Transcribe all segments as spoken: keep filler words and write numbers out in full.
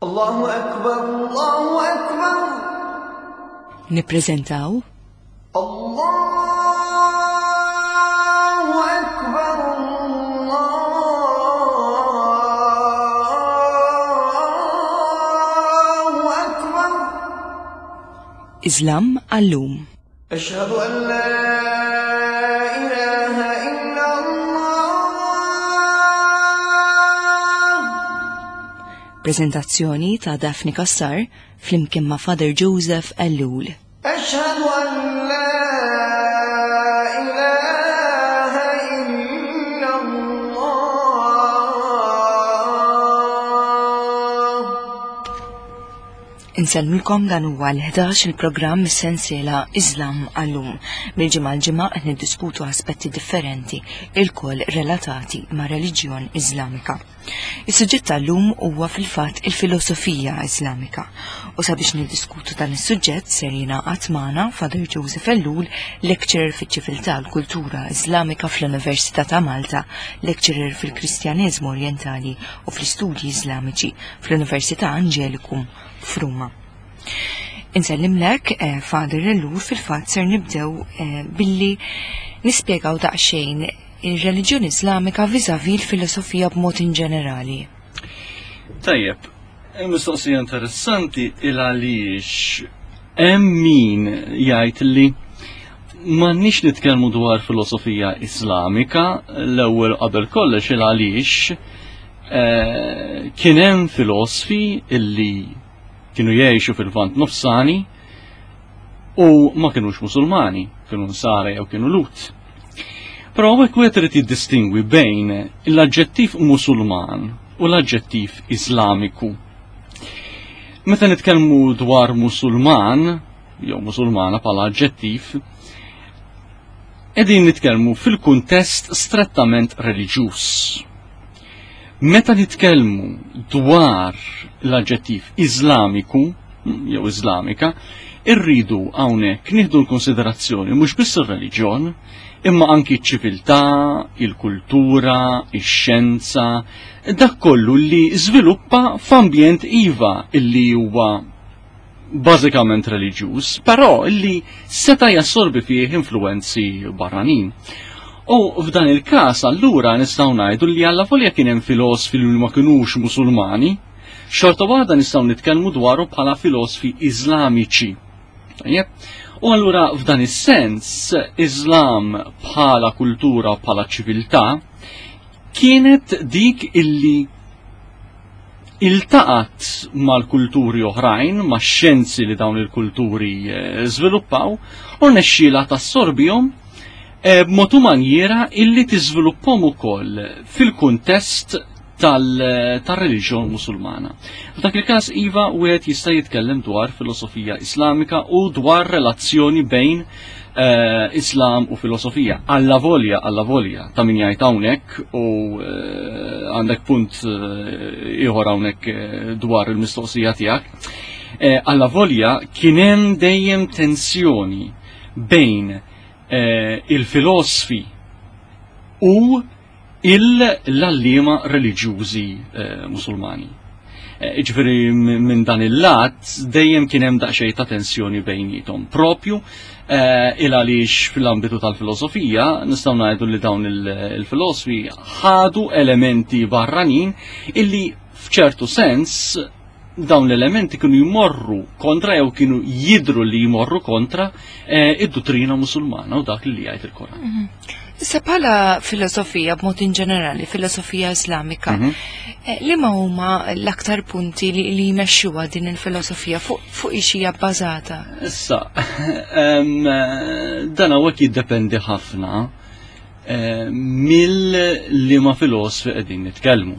Allahu Akbar, Allahu Akbar. Nippreżentaw Allahu Akbar, Allahu Akbar. Islam għallum. Ashhadu an la ilaha illa Allah. Prezentazzjoni ta' Daphne Cassar flimkien ma' Father Joseph Ellul. Ashhadu an la ilaha illa Allah. Insellmilkom dan huwa l-ħdax il-programm mis-sensiela Islam għallum. Mill-ġimgħa l-ġimgħa qed niddiskutu aspetti differenti ilkoll relatati ma' reliġjon Iżlamika. Is-suġġett tal-lum huwa fil-fatt il-filosofija Iżlamika. U sabiex niddiskutu dan is-suġġett ser jingħaqad magħna Father Joseph Ellul, lecturer fiċ-ċiviltà u l-kultura Iżlamika fl-Università ta' Malta, lecturer fil-Kristjaneżmu Orjentali u fl-Istudji Iżlamiċi fl-Università Angelicum f'Ruma. Insellimlek, eh, Father Ellul, fil-fatt ser nibdew eh, billi nispjegaw daqsxejn ir-reliġjoni Iżlamika vis-à-vis l-filosofija b'mod in ġenerali. Tajjeb, il-mistoqsija interessanti il għaliex hemm min jgħid li m'għandniex nitkellmu dwar filosofija Islamika l-ewwel qabel kollox il għaliex eh, kien hemm filosfi illi kienu jgħixu fil-Lvant Nofsani u ma kienux Musulmani, kienu Nsara jew kienu Lhud. Però hawnhekk wieħed irid jiddistingwi bejn l-aġġettiv Musulman u l-aġġettiv Iżlamiku. Meta nitkellmu dwar Musulman jew Musulmana bħala aġġettiv, qegħdin nitkellmu fil-kuntest strettament reliġjuż. Meta nitkellmu dwar l-aġġettiv Iżlamiku jew Iżlamika, irridu hawnhekk nieħdu l-konsiderazzjoni mhux biss ir-reliġjon, imma anki ċ-ċiviltà, il-kultura, ix-xjenza, dak kollu li żviluppa f'ambjent iva illi huwa bażikament reliġjuż, però illi seta' jassorbi fih influenzi barranin. U f'dan il-każ allura nistgħu ngħidu li allavolja kien hemm filosfi li ma kinux Musulmani, xorta waħda nistgħu nitkellmu dwaru bħala filosfi Iżlamiċi. Tajjeb? U allura f'dan is-sens Islam bħala kultura bħala ċiviltà kienet dik illi iltaqat mal-kulturi oħrajn, max-xjenzi li dawn il-kulturi eh, żviluppaw, u rnexxielha tassorbihom eh, b'mod u manjiera illi tiżviluppahom ukoll fil-kuntest tal-reliġjon musulmana. F'dak il-każ iva wieħed jista' jitkellem dwar filosofija Islamika u dwar relazzjoni bejn eh, Islam u filosofija. Alla volja, alla volja, ta' min jgħid hawnhekk u eh, għandek punt eh, ieħor hawnhekk eh, dwar il-mistoqsija tiegħek. Eh, alla volja kien hemm dejjem tensjoni bejn eh, il-filosfi u l-għalliema reliġjużi eh, musulmani. Eh, Ġifieri minn dan il-lat dejjem kien hemm daqsxejn ta' tensjoni bejnietom. Propju eh, il għaliex fil-ambitu tal-filosofija nistgħu ngħidu li dawn il-filosofi ħadu elementi barranin illi f'ċertu sens dawn l-elementi kienu jmorru kontra jew kienu jidru li jmorru kontra eh, id-dottrina musulmana u dak li jgħid il-Koran. Issa bħala filosofija b'mod in ġenerali, filosofija Islamika, Mhm. eh, li ma huma l-aktar punti li, li jmexxuha din il-filosofija fuq fuq ix hija bbażata? Issa, em, dan hawnhekk jiddependi ħafna eh, mill-liema filosofi qegħdin nitkellmu.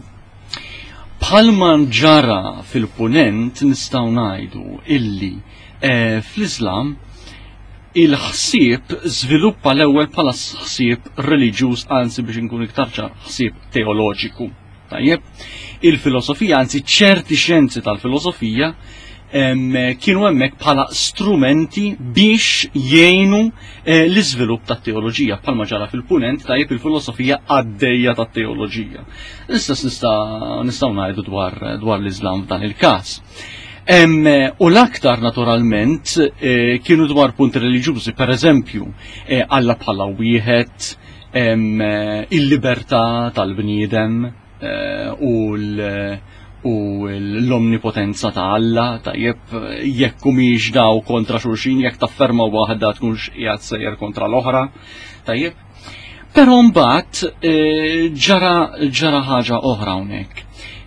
Bħalma ġara fil-punent nistgħu ngħidu illi eh, fl-Islam il-ħsieb żviluppa l-ewwel bħala ħsieb reliġjuż, anzi biex inkun iktar ċar, ħsieb teoloġiku. Tajjeb, il-filosofija, anzi ċerti xjenzi tal-filosofija, kienu hemmhekk bħala strumenti biex jgħinu eh, l-iżvilupp tat-teoloġija bħalma ġara fil-punent tajjeb il-filosofija għaddejja tat-teoloġija. L-istess nistgħu ngħidu dwar dwar l-Iżlam f'dan il-każ. U l-aktar naturalment eh, kienu dwar punti reliġjużi, per eżempju, eh, Alla bħala wieħed, il-libertà tal-bniedem u l- u l-omnipotenza ta' Alla, tajjeb, jekk humiex daw kontra xulxin, jekk tafferma waħda tkunx qiegħed sejjer kontra l-oħra, tajjeb. Però mbagħad eh, ġara ġara ħaġa oħra hawnhekk.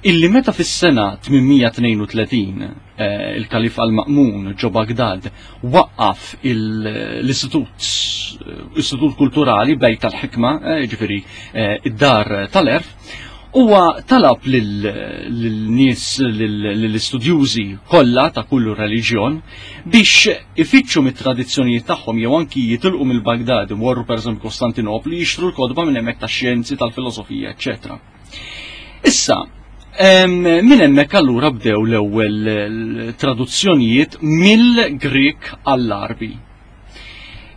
Illi meta fis-sena tmien mija tnejn u tletin eh, il-Kalif al-Ma'mun ġo Bagdad waqqaf l-istitut istitut kulturali Bejt al-Ħikma, eh, ġifieri id-dar tal-għerf, huwa talab lil-nies, lill-istudjużi kollha ta' kullu reliġjon biex ifittxu mit-tradizzjonijiet tagħhom jew anki jitilqu mill-Bagdad imorru pereżempju Kostantinopli jixtru l-kotba minn hemmhekk tax-xjenzi, tal-filosofija, eċċetera. Issa, minn hemmhekk allura bdew l-ewwel traduzzjonijiet mill-Grek għall-Arbi.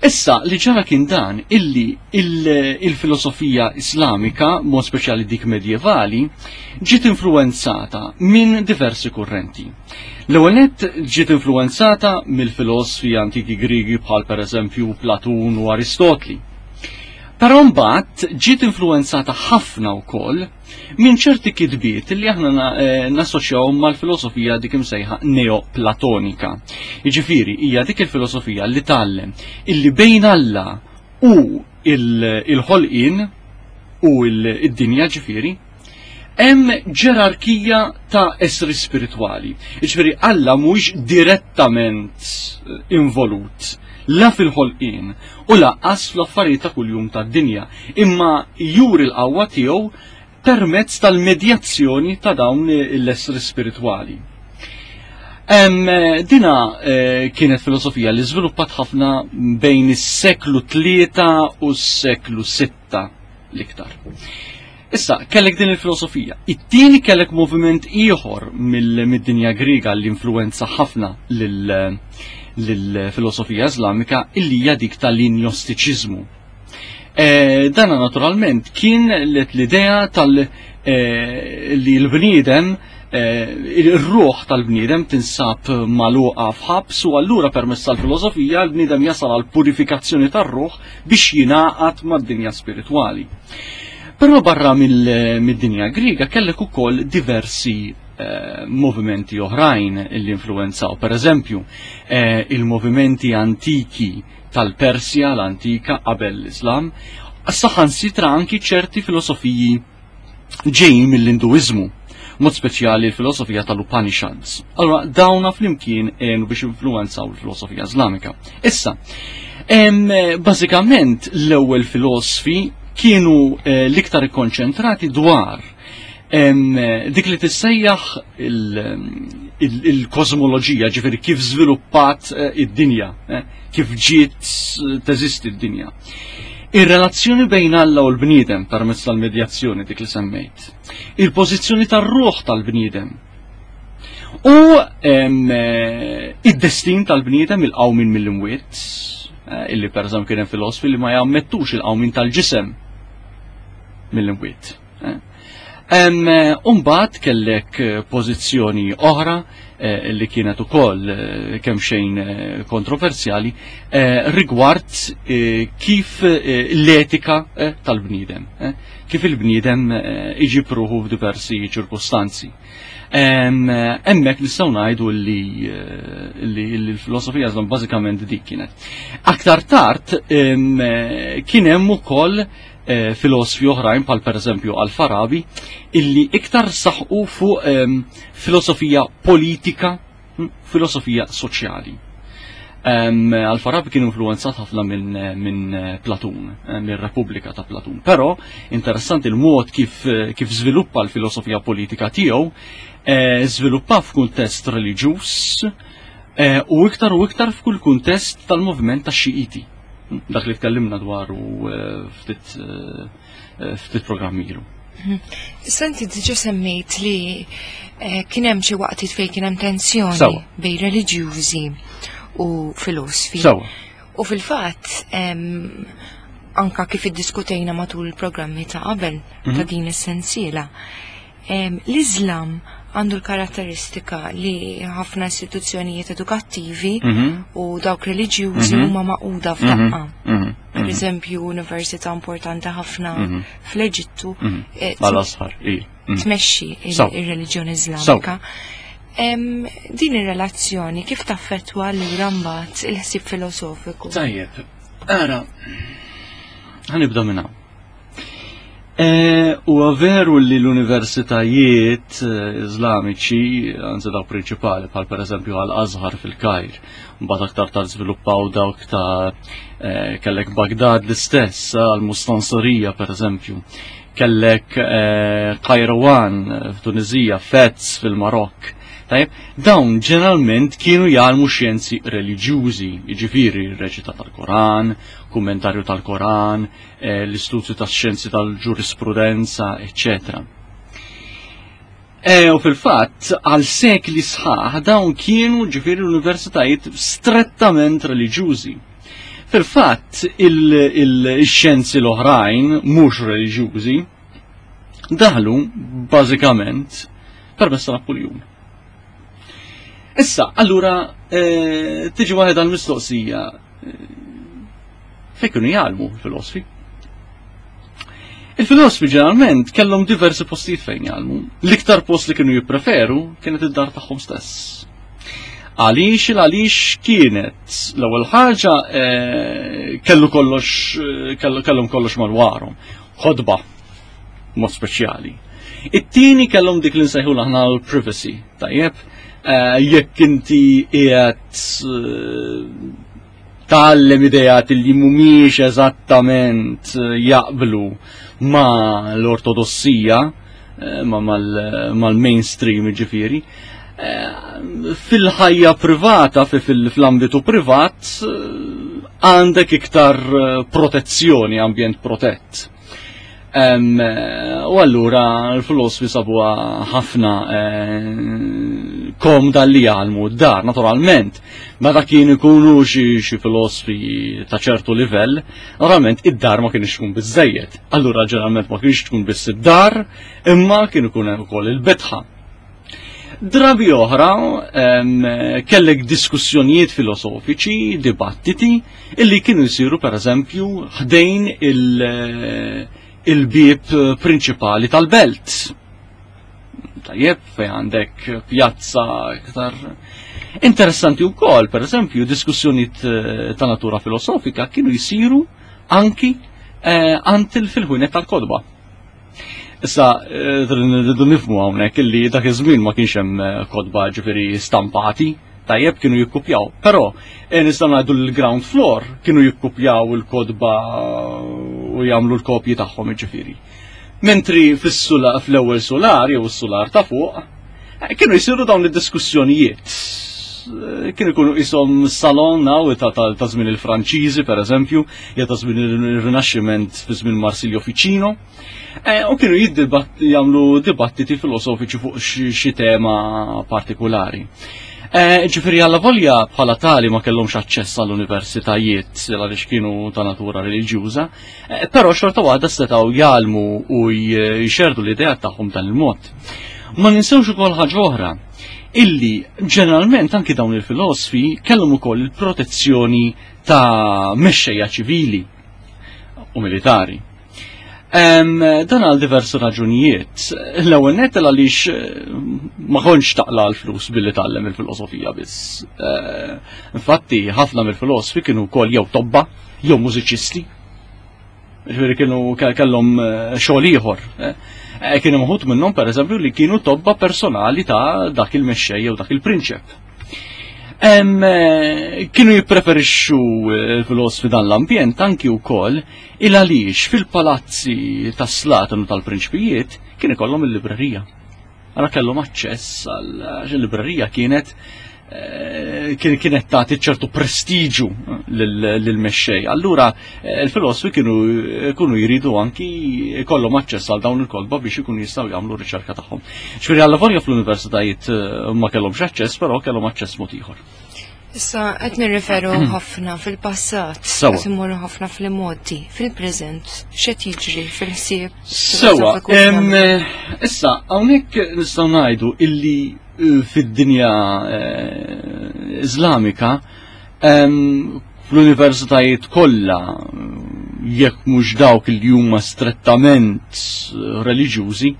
Issa, li ġara kien dan illi il-filosofija islamika, mod speċjali dik medjevali, ġiet influenzata minn diversi kurrenti. L-ewwel nett ġiet influenzata mill-filosfi antiki Grigi bħal pereżempju Platun u Aristotli. Però mbagħad ġiet influenzata ħafna wkoll minn ċerti kitbiet li aħna eh, nassoċjaw mal-filosofija dik imsejħa neoplatonika. Jiġifieri hija dik il-filosofija li tgħallem illi bejn Alla u il-ħolqien u id-dinja ġifieri hemm ġerarkija ta' essri spiritwali. Jiġifieri Alla mhuwiex direttament involut la fil-ħolqien u lanqas fl-affarijiet ta' kuljum tad-dinja, imma juri l-qawwa tiegħu permezz tal-medjazzjoni ta' dawn l-essri spiritwali. Em, dina eh, kienet filosofija li żviluppat ħafna bejn is-seklu tlieta u s-seklu sitta l-iktar. Issa, kellek din il-filosofija. It-tieni kellek moviment ieħor mill-dinja Griega li influenza ħafna lill-filosofija Islamika, illi hija dik tal-injostiċiżmu. E, dana naturalment kien l-idea tal- e, li l-bniedem, e, il-ruħ tal-bniedem tinsab magħluqa f'ħabs u allura permezz tal-filosofija l-bniedem jasal għal purifikazzjoni tar-ruħ biex jingħaqad mad-dinja spiritwali. Però barra mid-dinja Griega kellek ukoll diversi eh, movimenti oħrajn li influenzaw. Per eżempju, eh, il-movimenti antiki tal-Persja, l-antika qabel l-Islam, saħansitra anki ċerti filosofiji ġejjin mill-Induiżmu, mod speċjali l-filosofija tal-Upanishads. Allora, dawna flimkien għenu biex influenzaw l-filosofija Islamika. Issa, em, bażikament l-ewwel filosofi kienu eh, l-iktar ikkonċentrati dwar em, dik li tissejjaħ il-kosmoloġija, ġifieri kif żviluppat eh, id-dinja, eh, kif ġiet teżisti d-dinja. Ir-relazzjoni bejn Alla u l-bniedem permezz tal-medjazzjoni dik li semmejt. Il-pożizzjoni tar-ruħ tal-bniedem. U em, eh, id-destin tal-bniedem, il-qawmin mill-imwiet, eh, illi per eżempju kien hemm filosofi li ma jammettux il-qawmin tal-ġisem mill-imwiet. Eh. Em, Umbagħad kellek eh, pożizzjoni oħra eh, li kienet ukoll eh, kemm xejn eh, kontroversjali eh, rigward eh, kif eh, l-etika eh, tal-bniedem, eh, kif il-bniedem eh, iġib ruħu f'diversi ċirkustanzi. Hemmhekk nistgħu ngħidu li, eh, li l-filosofija żlom bażikament dik kienet. Aktar tard em, eh, kien hemm ukoll eh, filosofi oħrajn bħal pereżempju Al-Farabi illi iktar saħqu fuq em, filosofija politika, hm, filosofija soċjali. Um, Al-Farabi kien influenzat ħafna minn min Platun, eh, minn Repubblika ta' Platun. Però interessanti il-mod kif, kif żviluppa l-filosofija politika tiegħu, eh, żviluppa f'kuntest reliġjuż eh, u iktar u iktar f'kull kuntest tal-moviment tax-Xiiti. Dak li tkellimna dwaru eh, ftit eh, ftit programmi ilu. Issa inti diġa semmejt li Eh, Kien hemm xi waqtiet fejn kien hemm tensjoni Sewwa. bejn reliġjużi u filosfi. Sewwa. U fil-fatt, em, anka kif iddiskutejna matul il-programmi ta' qabel ta' din is-sensiela, em, l-Iżlam għandu l-karatteristika li ħafna istituzzjonijiet edukattivi Mhm. u dawk reliġjużi Mhm. huma magħquda f'daqqa. Mhm. Per eżempju, università importanti ħafna Mhm. fl-Eġittu Mhm. eh, Mal-Azhar, i. Mhm. tmexxi il- Sew. ir-reliġjoni Iżlamika. Em, Din ir-relazzjoni kif taffettwa allura mbagħad il-ħsieb filosofiku? Tajjeb, ara, ħa nibda minn hawn. E, U veru li l-universitajiet eh, iżlamiċi, anzi dawk prinċipali, bħal per eżempju għal-Azhar fil-Kajr, mbagħad aktar tard żviluppaw dawk ta' eh, kellek Bagdad l-istess, għal-Mustansirija per eżempju, kellek eh, Kairouan f'Tunizija, Fez fil-Marokk. Tajjeb, dawn ġeneralment kienu jgħallmu xjenzi reliġjużi, jiġifieri r-reċita tal-Koran, kummentarju tal-Koran, eh, l-istudju tax-xjenzi tal-ġurisprudenza, eccetera. E, u fil-fatt, għal sekli sħaħ dawn kienu ġifieri l-universitajiet strettament reliġjużi. Fil-fatt, il-xjenzi l-oħrajn, mhux reliġjużi, daħlu bażikament permezz ta' Napoleon. Issa, allura, eh, tiġi waħed għal-mistoqsija, eh, fejn kienu jgħallmu il-filosfi? Il-filosfi ġeneralment kellhom diversi postijiet fejn jgħallmu. L-iktar post li kienu jippreferu kienet id-dar tagħhom stess. Għaliex il għaliex kienet l-ewwel ħaġa eh, kellu kollox eh, kellu kellhom kollox madwarhom. Ħodba mod speċjali. It-tieni kellhom dik li nsejħu aħna l-privacy, tajjeb, eh, jekk inti qiegħed eh, tgħallem idejat li mhumiex eżattament eh, jaqblu ma l-ortodossija, eh, ma mal- mal-mainstream ġifieri, eh, fil-ħajja privata, fi- fil- fl-ambitu privat, eh, għandek iktar eh, protezzjoni, ambjent protett. Em, eh, U allura l-filosfi sabuha ħafna eh, komda li jgħallmu d-dar, naturalment. Meta kien ikunu xi xi filosfi ta' ċertu livell, naturalment id-dar ma kienx tkun biżejjed. Allura ġeneralment ma kienx tkun biss id-dar, imma kien ikun hemm ukoll il-bitħa. Drabi oħra em, kellek diskussjonijiet filosofiċi, dibattiti, illi kienu jsiru per eżempju ħdejn il- il-bieb prinċipali tal-belt. Tajjeb, fej għandek pjazza iktar interessanti wkoll, per eżempju, diskussjonijiet eh, ta' natura filosofika kienu jsiru anki eh, għand il fil-ħwienet tal-kotba. Issa, eh, rridu nifhmu hawnhekk illi dak iż-żmien ma kienx hemm eh, kotba ġifieri stampati, tajjeb kienu jikkupjaw. Però eh, nistgħu ngħidu l-ground floor kienu jikkupjaw il-kotba u jagħmlu l-kopji tagħhom ġifieri. Mentri fis-sula fl-ewwel solar jew is-solar ta' fuq, eh, kienu jsiru dawn id-diskussjonijiet. Eh, Kienu jkunu qishom salon naw ta' ta' ta' żmien il-Franċiżi per eżempju, jew ta' żmien il-Rinaxximent fi żmien Marsilio Ficino. Eh, U kienu jiddibat- jagħmlu dibattiti filosofiċi fuq xi xi tema partikolari. Eh, Ġifieri għalla volja bħala tali ma kellhomx aċċess għall-universitajiet għaliex kienu ta' natura reliġjuża, eh, però xorta waħda setgħu jgħallmu u jxerdu l-idea tagħhom dan il-mod. Ma ninsewx ukoll ħaġa oħra, illi ġeneralment anki dawn il-filosfi kellhom ukoll il-protezzjoni ta' mexxejja ċivili u militari. Em, dan għal diversi raġunijiet. L-ewwel nett għaliex eh, ma kontx taqla l-flus billi tgħallem il-filosofija biss. Eh, Infatti, ħafna mill-filosfi kienu wkoll jew tobba, jew mużiċisti. Ġifieri kienu ke- kellhom eh, xogħol ieħor. Eh, Eh, Kienu uħud minnhom pereżempju li kienu tobba personali ta' dak il-mexxej jew dak il-prinċep. Em, eh, kienu jippreferixxu eh, il-filosfi dan l-ambjent anki wkoll il għaliex fil-palazzi tas-slaten u tal-prinċpijiet kien ikollhom il-librerija. Allura kellhom aċċess għal għax il-librerija kienet kienet tagħti ċertu prestiġu lill-mexxej. Allura il-filosofi kienu kienu jridu anki jkollhom aċċess għal dawn il-kotba biex ikunu jistgħu jagħmlu r-riċerka tagħhom. Ġifieri allavolja fl-universitajiet ma kellhomx aċċess, però kellhom aċċess mod ieħor. Issa qed nirriferu ħafna fil-passat, qed immorru ħafna fl-imgħoddi, fil-preżent, x'qed jiġri fil-ħsieb. Sewa, issa hawnhekk nistgħu ngħidu illi fid-dinja Iżlamika fl-universitajiet kollha, jekk mhux dawk li huma strettament reliġjużi,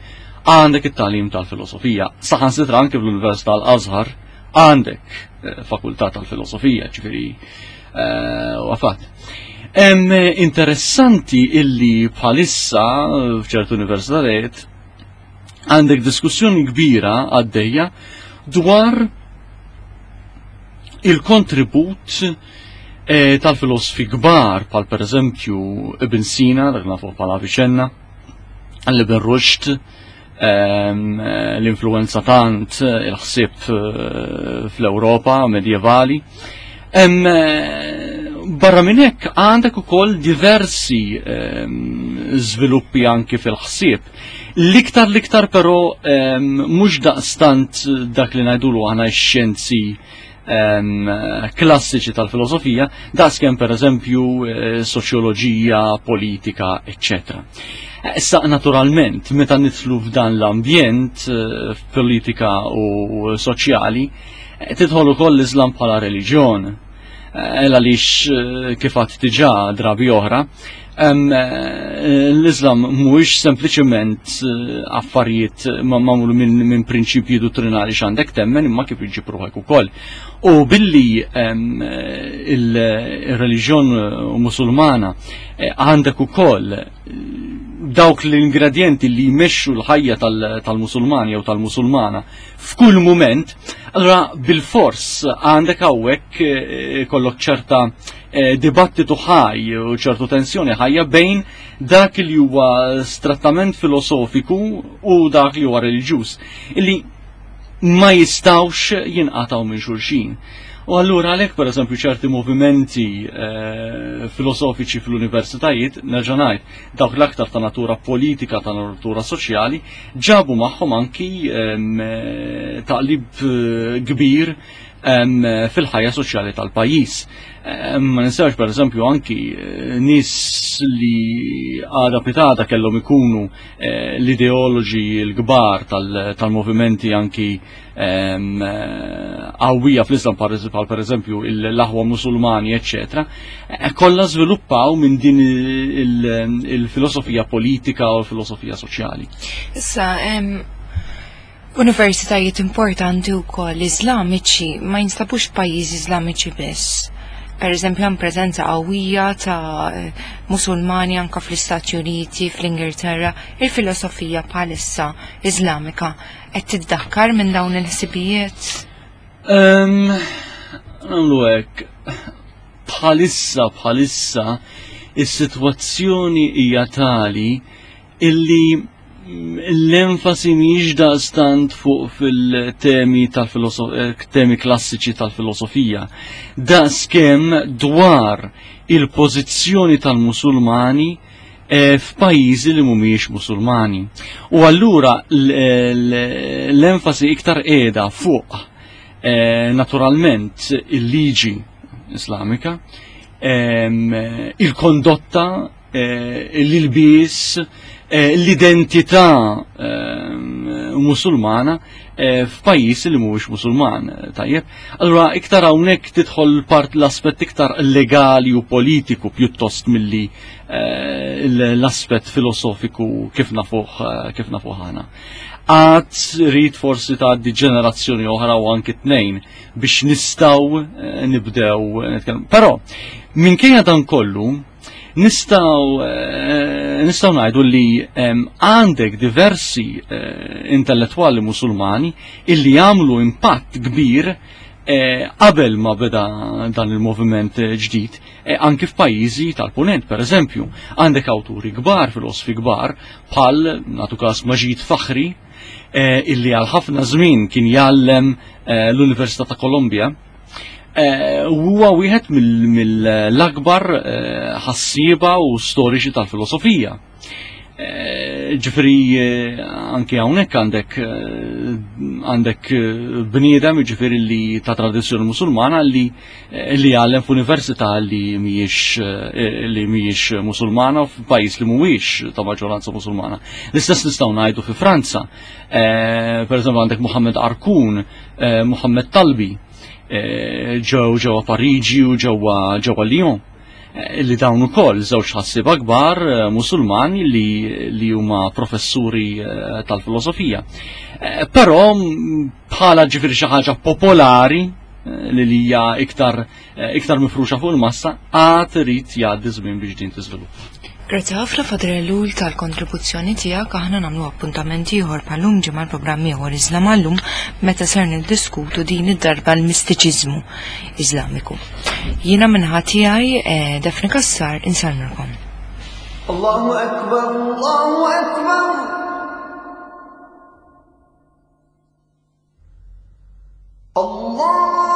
għandek it-tagħlim tal-filosofija. Saħansitra anke fl-Università Al-Azhar għandek fakultà tal-filosofija, ġifieri wafat. Hemm interessanti illi bħalissa f'ċertu universitajiet għandek diskussjoni kbira għaddejja dwar il-kontribut eh, tal-filosofi kbar, bħal per eżempju Ibn Sina, dak nafu bħala Avicenna, Ibn Rushd, l-influenza tant il-ħsieb fl-Ewropa medjevali. Barra minn hekk għandek ukoll diversi żviluppi anki fil-ħsieb. L-iktar l-iktar però mhux daqstant dak li ngħidulu aħna x-xjenzi klassiċi tal-filosofija, daqskemm per eżempju soċjoloġija, politika, eccetera. Issa naturalment, meta nidħlu f'dan l-ambjent politika u soċjali, tidħol ukoll l-Islam bħala reliġjon. Għaliex kif għedt diġà drabi oħra, l-Islam mhuwiex sempliċement affarijiet magħmul minn prinċipji dottrinali x'għandek temmen, imma kif iġġib ruħek ukoll. U billi il-reliġjon musulmana għandek ukoll dawk l-ingredienti li jmexxu l-ħajja tal-Musulmani jew tal-Musulmana f'kull mument, allura bil-fors għandek hawnhekk kollok ċerta dibattitu ħaj u ċertu tensjoni ħajja bejn dak li huwa strettament filosofiku u dak li huwa reliġjuż, illi ma jistawx jinqataw minn xulxin. U allura għalhekk per eżempju ċerti movimenti eh, filosofiċi fl-universitajiet, nerġa' ngħid, dawk l-aktar ta' natura politika, ta' natura soċjali, ġabu magħhom anki eh, taqlib kbir eh, fil-ħajja soċjali tal-pajjiż. Ma ninsewx per eżempju anki nies li għada pitata kellhom ikunu l-ideoloġi l-kbar tal-movimenti anki qawwija fl-Islam, bħal per eżempju l-aħwa musulmani, eccetera, kollha żviluppaw minn din il-filosofija politika u l-filosofija soċjali. Issa, universitajiet importanti wkoll Iżlamiċi ma jinstabux pajjiżi Iżlamiċi biss. Per eżempju, hemm preżenza qawwija ta' Musulmani anka fl-Istati Uniti, fl-Ingilterra. Il-filosofija bħalissa Iżlamika qed tiddakkar minn dawn il-ħsibijiet? Nagħmlu hekk, bħalissa bħalissa is-sitwazzjoni hija tali illi l-enfasi mhijiex daqstant fuq fil-temi tal-temi klassiċi tal-filosofija, daqskemm dwar il-pożizzjoni tal-Musulmani f'pajjiżi li mhumiex Musulmani. U allura l-enfasi iktar qiegħda fuq naturalment il-liġi Islamika, il-kondotta, l-ilbies, l-identità musulmana f'pajjiż li mhuwiex musulman, tajjeb. Allura iktar hawnhekk tidħol part l-aspett iktar legali u politiku pjuttost milli l-aspett filosofiku kif nafuh kif nafuh aħna. Għad rrid forsi tgħaddi ġenerazzjoni oħra u anki tnejn biex nistgħu nibdew nitkellmu. Però minkejja dan kollu nistgħu nistgħu ngħidu li għandek diversi intellettwali musulmani illi jagħmlu impatt kbir qabel ma beda dan il-moviment ġdid, anki f'pajjiżi tal-Punent, per eżempju, għandek awturi kbar, filosofi kbar, bħal nagħtu każ Maġid Fakhri, eh, illi għal ħafna żmien kien jgħallem eh, l-Università ta' Kolumbja. Eh, huwa wieħed mill-akbar ħassieba u storiċi tal-filosofija. Ġifieri anke hawnhekk għandek għandek bniedem ġifieri li ta' tradizzjoni musulmana li li jgħallem f'università li mhijiex li mhijiex musulmana u f'pajjiż li mhuwiex ta' maġġoranza musulmana. L-istess nistgħu ngħidu fi Franza. Per eżempju għandek Mohammed Arkun, Mohammed Talbi, ġew ġewwa Pariġi u ġewwa ġewwa Lyon li dawn ukoll żewġ ħassieba kbar musulmani li li huma professuri tal-filosofija. Però bħala ġifieri xi ħaġa popolari li hija iktar iktar mifruxa fuq il-massa, għad irid jgħaddi żmien biex din tiżviluppa. Grazzi ħafna Father Ellul tal-kontribuzzjoni tiegħek. Aħna nagħmlu appuntament ieħor bħal-lum ġimgħa l-programm ieħor Iżlam għallum meta ser niddiskutu din id-darba l-mistiċiżmu Iżlamiku. Jiena minn tiegħi Daphne Cassar insellmilkom. Allahu Akbar, Allahu Akbar. Allah.